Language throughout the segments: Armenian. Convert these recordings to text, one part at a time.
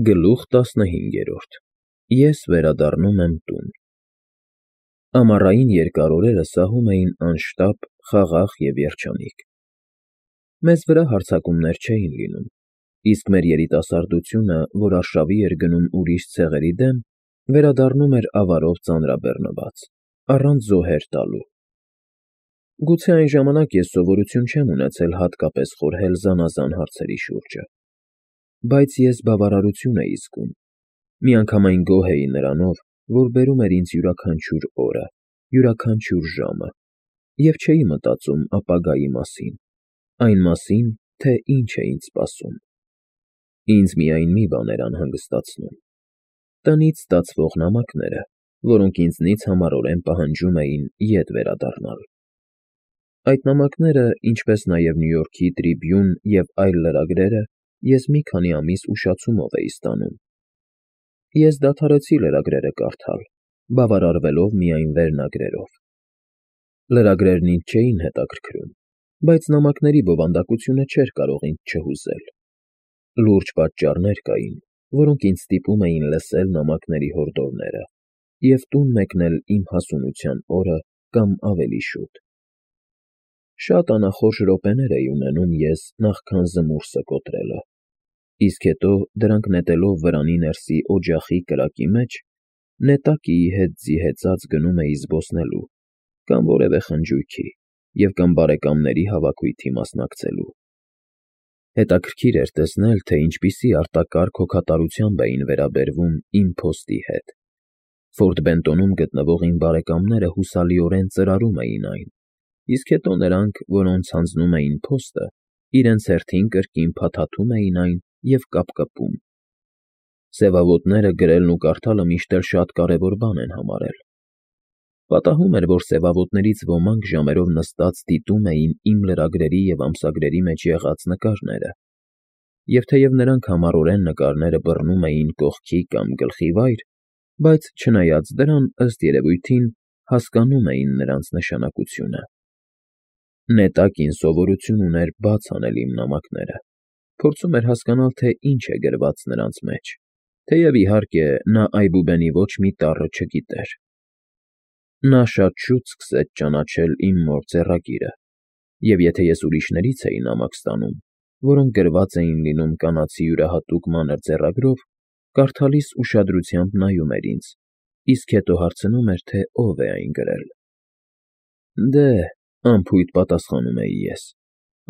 Գլուխ 15 Ես վերադառնում եմ տուն։ Ամառային երկար օրերը սահում էին անշտապ, խաղաղ և երջանիկ։ Մեզ վրա հարձակումներ չէին լինում, իսկ մեր երիտասարդությունը, որ արշավի էր գնում ուրիշ ցեղերի դեմ, վերադառնում էր ավարով ծանրաբեռնված, առանց զոհեր տալու։ Գուցե այն ժամանակ ես սովորություն չեմ ունեցել հատկապես խորհել զանազան հարցերի շուրջը, բայց ես բավարարություն էի զգում, միանգամայն գոհ էի նրանով, որ բերում էր ինձ յուրաքանչյուր օրը, յուրաքանչյուր ժամը, և չէի մտածում ապագայի մասին, այն մասին, թե ինչ է ինձ սպասում։ Ինձ միայն մի բան էր անհանգստացնում. տնից ստացվող նամակները, որոնք ինձնից համառորեն պահանջում էին ետ վերադառնալ։ Այդ նամակները, ինչպես նաև Նյու Յորքի Տրիբյուն և այլ լրագրերը, ես մի քանի ամիս ուշացումով էի ստանում։ Ես դադարեցի լրագրերը կարդալ, բավարարվելով միայն վերնագրերով։ Լրագրերն ինձ չէին հետաքրքրում, բայց նամակների բովանդակությունը չէր կարող ինձ չհուզել։ Լուրջ պատճառներ կային, որոնք ինձ ստիպում էին լսել նամակների հորդորները և տուն մեկնել իմ հասունության օրը կամ ավելի շուտ։ Շատ անախորժ րոպեներ էի ունենում ես նախքան զմուրսը կոտրելը, իսկ հետո, դրանք նետելով վրանի ներսի օջախի կրակի մեջ, նետակիի հետ զիհեցած գնում էի զբոսնելու կամ որևէ խնջույքի և կամ բարեկամների հավաքույթի մասնակցելու։ Հետաքրքիր էր տեսնել, թե ինչպիսի արտակարգ հոգատարությամբ էին վերաբերվում իմ փոստի հետ։ Ֆորտ Բենտոնում գտնվող իմ բարեկամները հուսալիորեն ծրարում էին այն, իսկ հետո նրանք, որոնց հանձնում էին փոստը, իրենց հերթին կրկին փաթաթում էին այն և կապկպում։ Սևավոտները գրելն ու կարդալը միշտ էլ շատ կարևոր բան են համարել։ Պատահում էր, որ սևավոտներից ոմանք ժամերով նստած դիտում էին իմ լրագրերի և ամսագրերի մեջ եղած նկարները, և թեև նրանք համառորեն նկարները բռնում էին կողքի կամ գլխի վայր, բայց, չնայած դրան, ըստ երևույթին, հասկանում էին նրանց նշանակությունը։ Նետակին սովորություն ուներ բաց անել իմ նամակները, փորձում էր հասկանալ, թե ինչ է գրված նրանց մեջ, թեև, իհարկե, նա այբուբենի ոչ մի տառը չգիտեր։ Նա շատ շուտ սկսեց ճանաչել իմ մոր ձեռագիրը, և եթե ես ուրիշներից էի նամակ ստանում, որոնք գրված էին լինում կանացի յուրահատուկ մանր ձեռագրով, կարդալիս ուշադրությամբ նայում էր ինձ, իսկ հետո հարցնում էր, թե ով է այն գրել։ Դե, անփույթ պատասխանում էի ես,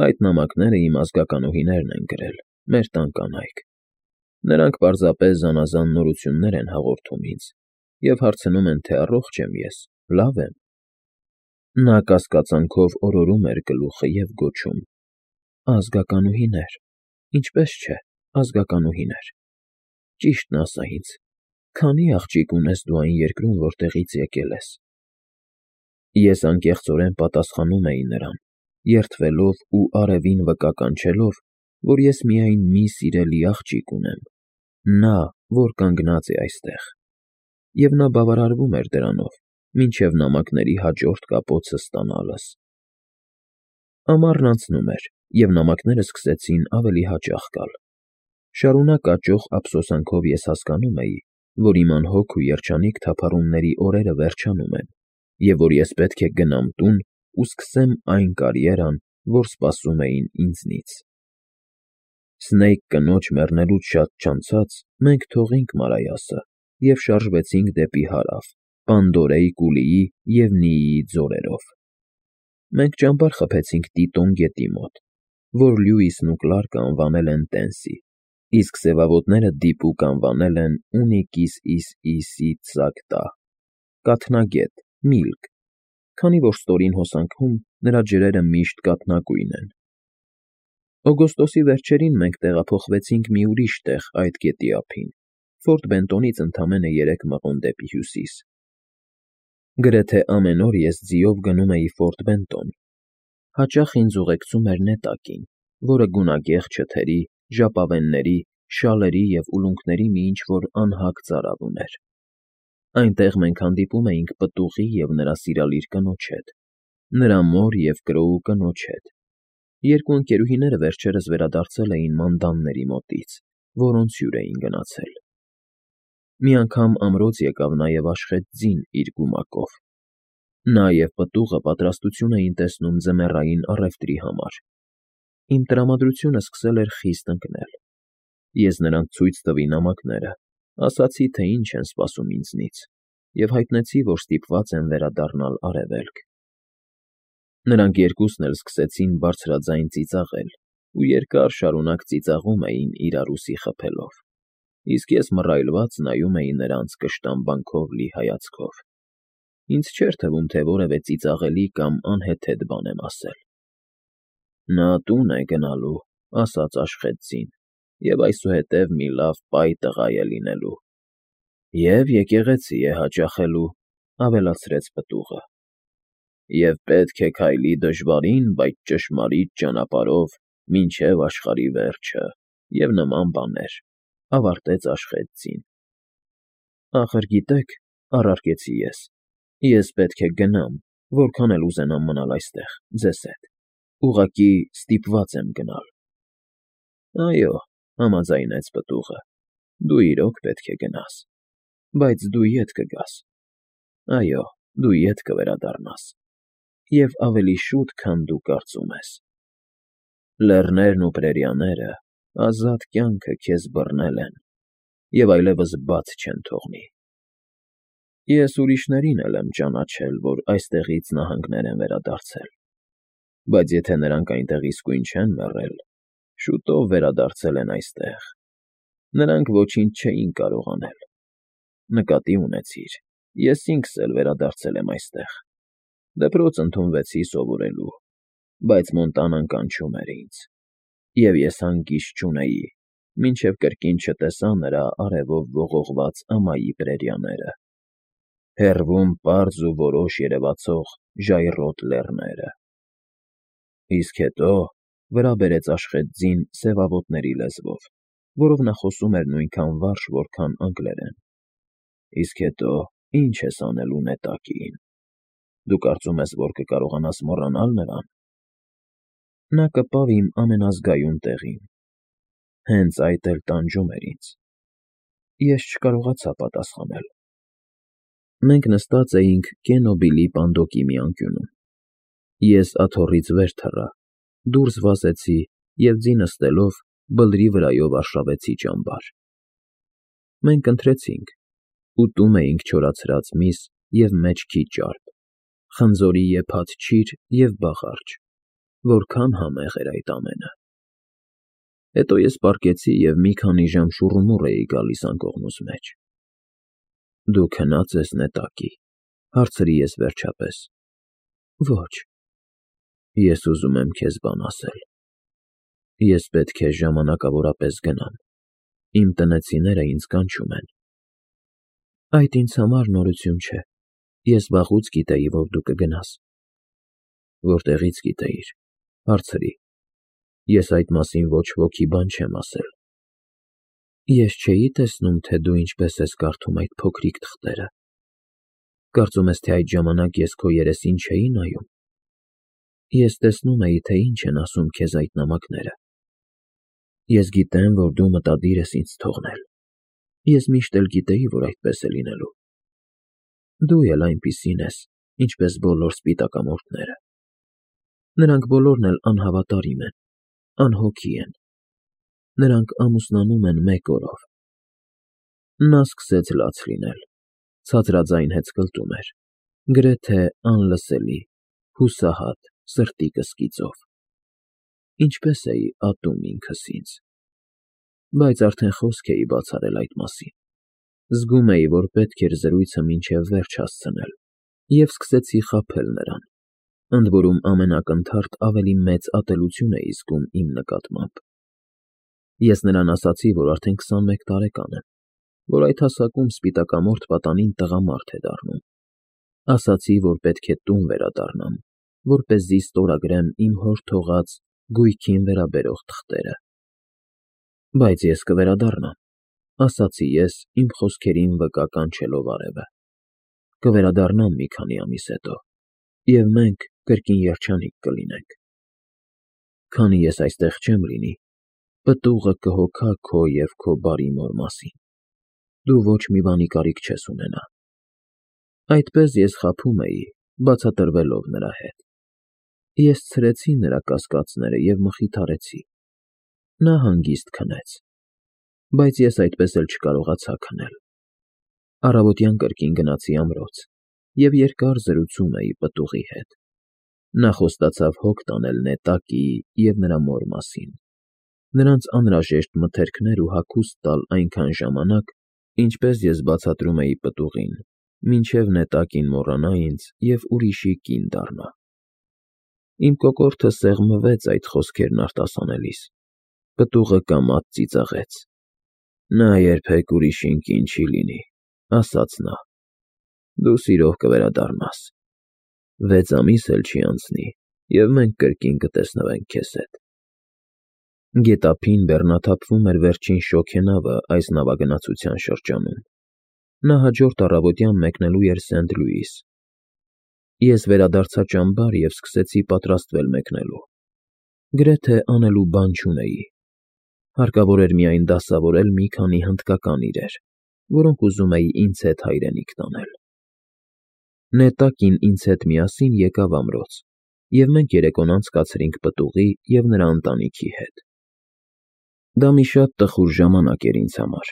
այդ նամակները իմ ազգականուհիներն են գրել, մեր տան կանայք։ Նրանք պարզապես զանազան նորություններ են հաղորդում ինձ և հարցնում են, թե առողջ եմ ես, լավ եմ։ Նա կասկածանքով օրորում էր գլուխը և գոչում. Ազգականուհիներ, ինչպես չէ, ազգականուհիներ։ Ճիշտն ասա ինձ, քանի՞ աղջիկ ունես դու այն երկրում, որտեղից եկել ես։ Ես անկեղծորեն պատասխանում էի նրան, երդվելով ու արևին վկա կանչելով, որ ես միայն մի սիրելի աղջիկ ունեմ, նա, որ կանգնած է այստեղ, և նա բավարարվում էր դրանով, մինչև նամակների հաջորդ կապոցը ստանալս։ Ամառն անցնում էր, և նամակները սկսեցին ավելի հաճախ գալ։ Շարունակ աճող ափսոսանքով ես հասկանում էի, որ իմ անհոգ ու երջանիկ թափառումների օրերը վերջանում են, և որ ես պետք է գնամ տուն ու սկսեմ այն կարիերան, որ սպասում էին ինձնից։ Սնեյք կնոջ մեռնելուց շատ չանցած մենք թողինք Մարայասը և շարժվեցինք դեպի հարավ, Պանդորեի կուլիի և Նիիի ձորերով։ Մենք ճամբար խփեցինք Տիտոն գետի մոտ, որ Լյուիսն ու Կլարկը անվանել են Տենսի, իսկ սևավոտները դիպուկ անվանել են Ունիկիս կաթնագետ, միլք, քանի որ ստորին հոսանքում նրա ջրերը միշտ կաթնագույն են։ Օգոստոսի վերջերին մենք տեղափոխվեցինք մի ուրիշ տեղ այդ գետի ափին, Ֆորտ Բենտոնից ընդամենը 3 մղոն դեպի հյուսիս։ Գրեթե ամեն օր ես ձիով գնում էի Ֆորտ Բենտոն։ Հաճախ ինձ ուղեկցում էր նետակին, որը գունագեղ չթերի, ժապավենների, շալերի և ուլունքների մի ինչ֊որ անհագ ծարավ ուներ։ Այնտեղ մենք հանդիպում էինք պտուղի և նրա սիրալիր կնոջ հետ, նրա մոր և կրոու կնոջ հետ։ Երկու ընկերուհիները վերջերս վերադարձել էին Մանդանների մոտից որոնց հյուր էին գնացել։ Մի անգամ ամրոց եկավ նաև Աշխեթ ձին իր գումակով։ Նա և պտուղը պատրաստություն էին տեսնում ձմեռային առևտրի համար։ Իմ տրամադրությունը սկսել էր խիստ ընկնել։ Ես նրանց ցույց տվի նամակները, ասացի, թե ինչ են սպասում ինձնից, և հայտնեցի, որ ստիպված եմ վերադառնալ Արևելք։ Նրանք երկուսն էլ սկսեցին բարձրաձայն ծիծաղել ու երկար շարունակ ծիծաղում էին իրար ուսի խփելով, իսկ ես մռայլված նայում էի նրանց կշտամբանքով լի հայացքով։ Ինձ չէր թվում, թե որևէ ծիծաղելի կամ անհեթեթ բան եմ ասել։ Նա տուն է գնալու, ասաց Աշխեթ ձին, և այսուհետև մի լավ պայ տղա է լինելու։ Եվ եկեղեցի է հաճախելու, ավելացրեց պտուղը։ Եվ պետք է քայլի դժվարին, բայց ճշմարիտ ճանապարհով մինչև աշխարհի վերջը, և նման բաներ, ավարտեց Աշխեթ ձին։ Ախր գիտեք, առարկեցի ես պետք է գնամ, որքան էլ ուզենամ մնալ այստեղ, ձեզ հետ, ուղղակի ստիպված եմ գնալ։ Այո, համաձայնեց պտուղը, դու իրոք պետք է գնաս, բայց դու ետ կգաս։ Այո, դու ետ կվերադառնաս, և ավելի շուտ, քան դու կարծում ես։ Լեռներն ու պրերիաները ազատ կյանքը քեզ բռնել են և այլևս բաց չեն թողնի։ Ես ուրիշներին էլ եմ ճանաչել, որ այստեղից նահանգներ են վերադարձել, բայց եթե նրանք այնտեղ իսկույն չեն մեռել, շուտով վերադարձել են այստեղ։ Նրանք ոչինչ չէին կարող անել։ Նկատի ունեցիր, ես ինքս էլ վերադարձել եմ այստեղ։ Դպրոց ընդունվեցի սովորելու, բայց Մոնտանան կանչում էր ինձ, և ես հանգիստ չունեի, մինչև կրկին չտեսա նրա արևով ողողված ամայի պրերիաները, հեռվում պարզ ու որոշ երևացող ժայռոտ լեռները։ Իսկ հետո, վրա բերեց Աշխեթ ձին սևավոտների լեզվով, որով նա խոսում էր նույնքան վարժ, որքան անգլերեն։ Իսկ հետո ի՞նչ ես անելու նետակին։ Դու կարծում ես, որ կկարողանաս մոռանալ նրան։ Նա կպավ իմ ամենազգայուն տեղին։ Հենց այդ էլ տանջում էր ինձ։ Ես չկարողացա պատասխանել։ Մենք նստած էինք Կենո Բիլի պանդոկի մի անկյունում։ Ես աթոռից վեր թռա, դուրս վազեցի և ձի նստելով բլրի վրայով արշավեցի ճամբար։ Մենք ընթրեցինք, ուտում էինք չորացրած միս և մեջքի ճարպ, խնձորի եփած չիր և բաղարջ, որքան համեղ էր այդ ամենը։ Հետո ես պառկեցի և մի քանի ժամ շուռումուռ էի գալիս անկողնուս մեջ։ Դու քնա՞ծ ես նետակի, հարցրի ես վերջապես։ Ոչ։ Ես ուզում եմ քեզ բան ասել։ Ես պետք է ժամանակավորապես գնամ։ Իմ տնեցիները ինձ կանչում են։ Այդ ինձ համար նորություն չէ։ Ես վաղուց գիտեի, որ դու կգնաս։ Որտեղի՞ց գիտեիր, հարցրի։ Ես այդ մասին ոչ ոքի բան չեմ ասել։ Ես չէի տեսնում, թե դու ինչպես ես կարդում այդ փոքրիկ թղթերը։ Կարծում ես, թե այդ ժամանակ ես քո երեսին չէի նայում։ Ես տեսնում էի, թե ինչ են ասում քեզ այդ նամակները։ Ես գիտեմ, որ դու մտադիր ես ինձ թողնել։ Ես միշտ էլ գիտեի, որ այդպես է լինելու։ Դու էլ այնպիսին ես, ինչպես բոլոր սպիտակամորթները։ Նրանք բոլորն էլ անհավատարիմ են, անհոգի են։ Նրանք ամուսնանում են մեկ օրով։ Նա սկսեց լաց լինել, ցածրաձայն հեծկլտում էր, գրեթե անլսելի, հուսահատ, սրտի կսկիծով։ Ինչպես էի ատում ինքս ինձ։ Բայց արդեն խոսք էի բացառել այդ մասին։ Զգում էի, որ պետք էր զրույցը մինչև վերջ հասցնել, և սկսեցի խաբել նրան, ընդ որում ամենակնդարդ ավելի մեծ ատելություն էի զգում իմ նկատմամբ։ Ես նրան ասացի, որ արդեն 21 տարեկան եմ, որ այդ հասակում սպիտակամորթ պատանին տղամարդ է դառնում։ Ասացի, որ պետք է տուն վերադառնամ, որպեսզի ստորագրեմ իմ հոր թողած գույքին վերաբերող թղթերը։ Բայց ես կվերադառնամ, ասացի ես, իմ խոսքերին վկա կանչելով արևը։ Կվերադառնամ մի քանի ամիս հետո, և մենք կրկին երջանիկ կլինենք։ Քանի ես այստեղ չեմ լինի, Պտուղը կհոգա քո և քո բարի մոր մասին, դու ոչ մի բանի կարիք չես ունենա։ Այդպես ես խաբում էի, բացատրվելով նրա հետ։ Ես ցրեցի նրա կասկածները և մխիթարեցի։ Նա հանգիստ քնեց, բայց ես այդպես էլ չկարողացա քնել։ Առավոտյան կրկին գնացի ամրոց և երկար զրուցում էի պտուղի հետ։ Նա խոստացավ հոգ տանել Նետակիի և նրա մոր մասին, նրանց անհրաժեշտ մթերքներ ու հագուստ տալ այնքան ժամանակ, ինչպես ես բացատրում էի պտուղին, մինչև Նետակին մոռանա ինձ և ուրիշի կին դառնա։ Իմ կոկորդը սեղմվեց այդ խոսքերն արտասանելիս։ Պտուղը կամաց ծիծաղեց։ Նա երբեք ուրիշին կին չի լինի, ասաց նա։ Դու սիրով կվերադառնաս։ 6 ամիս էլ չի անցնի, և մենք կրկին կտեսնվենք քեզ հետ։ Գետափին բեռնաթափվում էր վերջին շոգենավը այս նավագնացության շրջանում։ Նա հաջորդ առավոտյան մեկնելու էր Սենթ Լուիս։ Ես վերադարձա ճամբար և սկսեցի պատրաստվել մեկնելու։ Գրեթե անելու բան չունեի։ Հարկավոր էր միայն դասավորել մի քանի հնդկական իրեր, որոնք ուզում էի ինձ հետ հայրենիք տանել։ Նետակին ինձ հետ միասին եկավ ամրոց, և մենք երեկոն անցկացրինք պտուղի և նրա ընտանիքի հետ։ Դա մի շատ տխուր ժամանակ էր ինձ համար։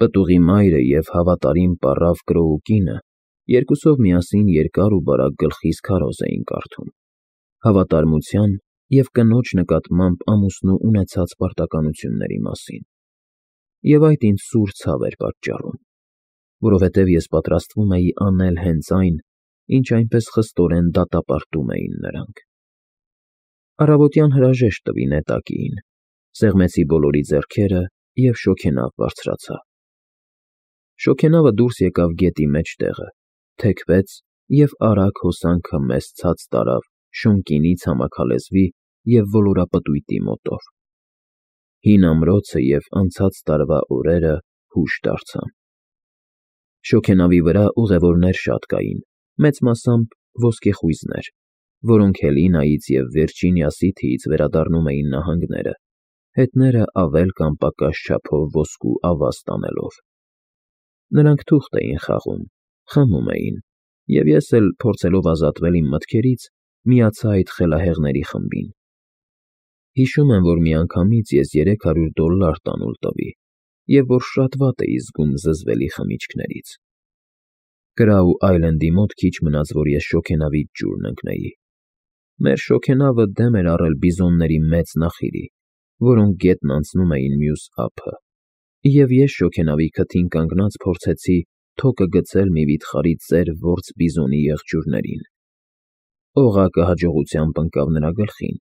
Պտուղի մայրը և հավատարիմ պառավ կրոու կինը երկուսով միասին երկար ու բարակ գլխիս քարոզ էին կարդում, հավատարմության և կնոջ նկատմամբ ամուսնու ունեցած պարտականությունների մասին։ Եվ այդ ինձ սուր ցավ էր պատճառում, որովհետև ես պատրաստվում էի անել հենց այն, ինչ այնպես խստորեն դատապարտում էին նրանք։ Առավոտյան հրաժեշտ տվի Նետակիին, սեղմեցի բոլորի ձեռքերը և շոգենավ բարձրացա։ Շոգենավը դուրս եկավ գետի մեջտեղը, թեքվեց և արագ հոսանքը մեզ ցած տարավ Շոնկինի ցամաքալեզվի և ոլորապտույտի մոտով։ Հին ամրոցը և անցած տարվա օրերը հուշ դարձան։ Շոգենավի վրա ուղևորներ շատ կային, մեծ մասամբ ոսկեխույզներ, որոնք Հելինայից և Վիրջինիա Սիթիից վերադառնում էին նահանգները, հետները ավել կամ պակաս չափով ոսկու ավազ տանելով։ Նրանք թուղթ էին խաղում, խմում էին, և ես էլ, փորձելով ազատվել իմ մտքերից, միացա այդ խելահեղների խմբին։ Հիշում եմ, որ միանգամից ես $300 տանուլ տվի, և որ շատ վատ էի զգում զզվելի խմիչքներից։ Կրաու Այլենդի մոտ քիչ մնաց, որ ես շոգենավից ջուրն ընկնեի։ Մեր շոգենավը դեմ էր առել բիզոնների մեծ նախիրի, որոնք գետն անցնում էին մյուս ափը, և ես շոգենավի քթին կանգնած փորձեցի թոկը գցել մի վիթխարի ծեր որձ բիզոնի եղջյուրներին։ Օղակը հաջողությամբ ընկավ նրա գլխին,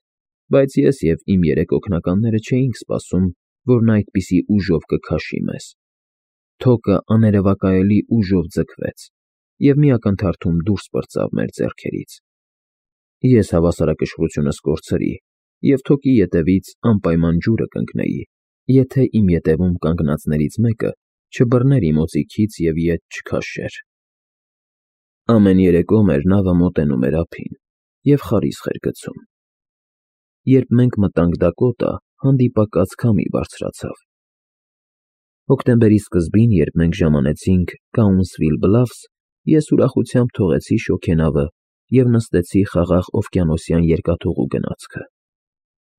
բայց ես և իմ 3 օգնականները չէինք սպասում, որ նա այդպիսի ուժով կքաշի մեզ։ Թոկը աներևակայելի ուժով ձգվեց և մի ակնթարթում դուրս պրծավ մեր ձեռքերից։ Ես հավասարակշռությունս կորցրի և թոկի ետևից անպայման ջուրը կընկնեի, եթե իմ ետևում կանգնածներից մեկը չբռներ իմ օձիքից և ետ չքաշեր։ Ամեն երեկո մեր նավը մոտենում էր ափին և խարիսխ էր գցում։ Երբ մենք մտանք Դակոտա, հանդիպակաց քամի բարձրացավ։ Հոկտեմբերի սկզբին, երբ մենք ժամանեցինք Կաունսվիլ Բլաֆս, ես ուրախությամբ թողեցի շոգենավը և նստեցի խաղաղ օվկիանոսյան երկաթուղու գնացքը։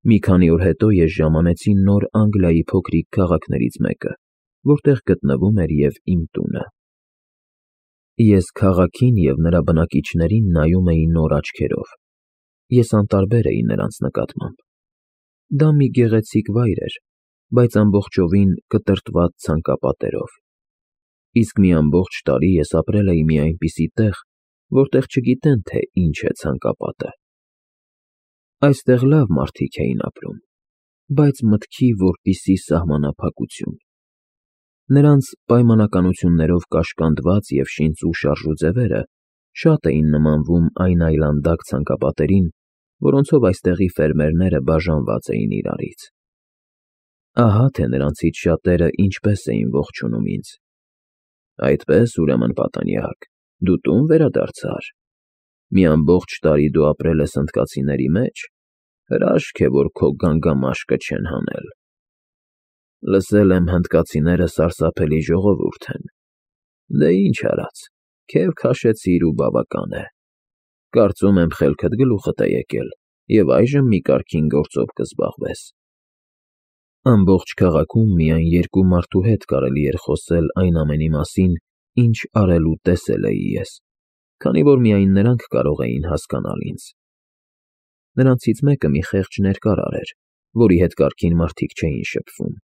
Մի քանի օր հետո ես ժամանեցի Նոր Անգլիայի փոքրիկ քաղաքներից մեկը, որտեղ գտնվում էր և իմ տունը։ Ես քաղաքին և նրա բնակիչներին նայում էի նոր աչքերով։ Ես անտարբեր էի նրանց նկատմամբ։ Դա մի գեղեցիկ վայր էր, բայց ամբողջովին կտրտված ցանկապատերով։ Իսկ մի ամբողջ տարի ես ապրել էի մի այնպիսի տեղ, որտեղ չգիտեն, թե ինչ է ցանկապատը։ Այստեղ լավ մարդիկ էին ապրում, բայց մտքի որպիսի սահմանափակություն։ Նրանց պայմանականություններով կաշկանդված և շինծու շարժուձևերը շատ էին նմանվում այն այլանդակ ցանկապատերին, որոնցով այստեղի ֆերմերները բաժանված էին իրարից։ Ահա թե նրանցից շատերը ինչպես էին ողջունում ինձ. «Այդպես, ուրեմն, պատանյակ, դու տուն վերադարձար։ Մի ամբողջ տարի դու ապրել ես հնդկացիների մեջ, հրաշք է, որ քո գանգամաշկը չեն հանել»։ Լսել եմ հնդկացիները սարսափելի ժողովուրդ են։ Դե ինչ արած, քեֆ քաշեցիր ու բավական է։ Կարծում եմ խելքդ գլուխդ է եկել, և այժմ մի կարգին գործով կզբաղվես։ Ամբողջ քաղաքում միայն երկու մարդու հետ կարելի էր խոսել այն ամենի մասին, ինչ արել ու տեսել էի ես, քանի որ միայն նրանք կարող էին հասկանալ ինձ։ Նրանցից մեկը մի խեղճ ներկարար էր, որի հետ կարգին մարդիկ չէին շփվում,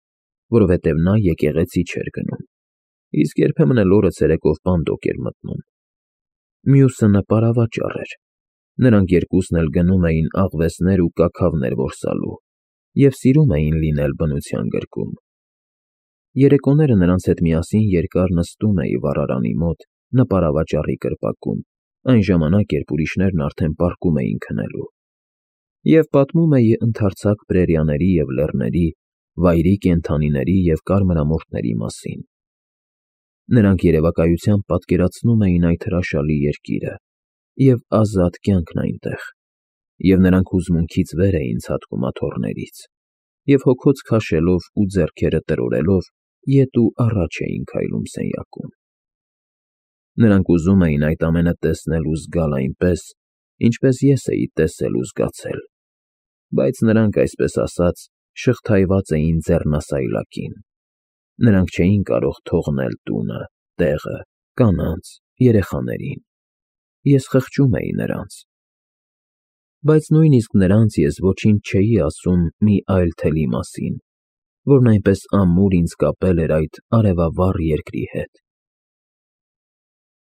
որովհետև նա եկեղեցի չէր գնում, իսկ երբեմն էլ օրը ցերեկով բանդոկ էր մտնում։ Մյուսը նպարավաճառ էր։ Նրանք երկուսն էլ գնում էին աղվեսներ ու կաքավներ որսալու և սիրում էին լինել բնության գրկում։ Երեկոները նրանց հետ միասին երկար նստում էի վառարանի մոտ նպարավաճառի կրպակում, այն ժամանակ, երբ ուրիշներն արդեն պառկում էին քնելու, և պատմում էի ընդարձակ պրերիաների և լեռների, վայրի կենդանիների և կարմրամորթների մասին։ Նրանք երևակայությամբ պատկերացնում էին այդ հրաշալի երկիրը և ազատ կյանքն այնտեղ, և նրանք հուզմունքից վեր էին ցատկում աթոռներից և հոգոց քաշելով ու ձեռքերը տրորելով ետ ու առաջ էին քայլում սենյակում։ Նրանք ուզում էին այդ ամենը տեսնել ու զգալ այնպես, ինչպես ես էի տեսել ու զգացել, բայց նրանք, այսպես ասած, շղթայված էին ձեռնասայլակին։ Նրանք չէին կարող թողնել տունը, տեղը, կանանց, երեխաներին։ Ես խղճում էի նրանց։ Բայց նույնիսկ նրանց ես ոչինչ չէի ասում մի այլ թելի մասին, որն այնպես ամուր ինձ կապել էր այդ արևավառ երկրի հետ։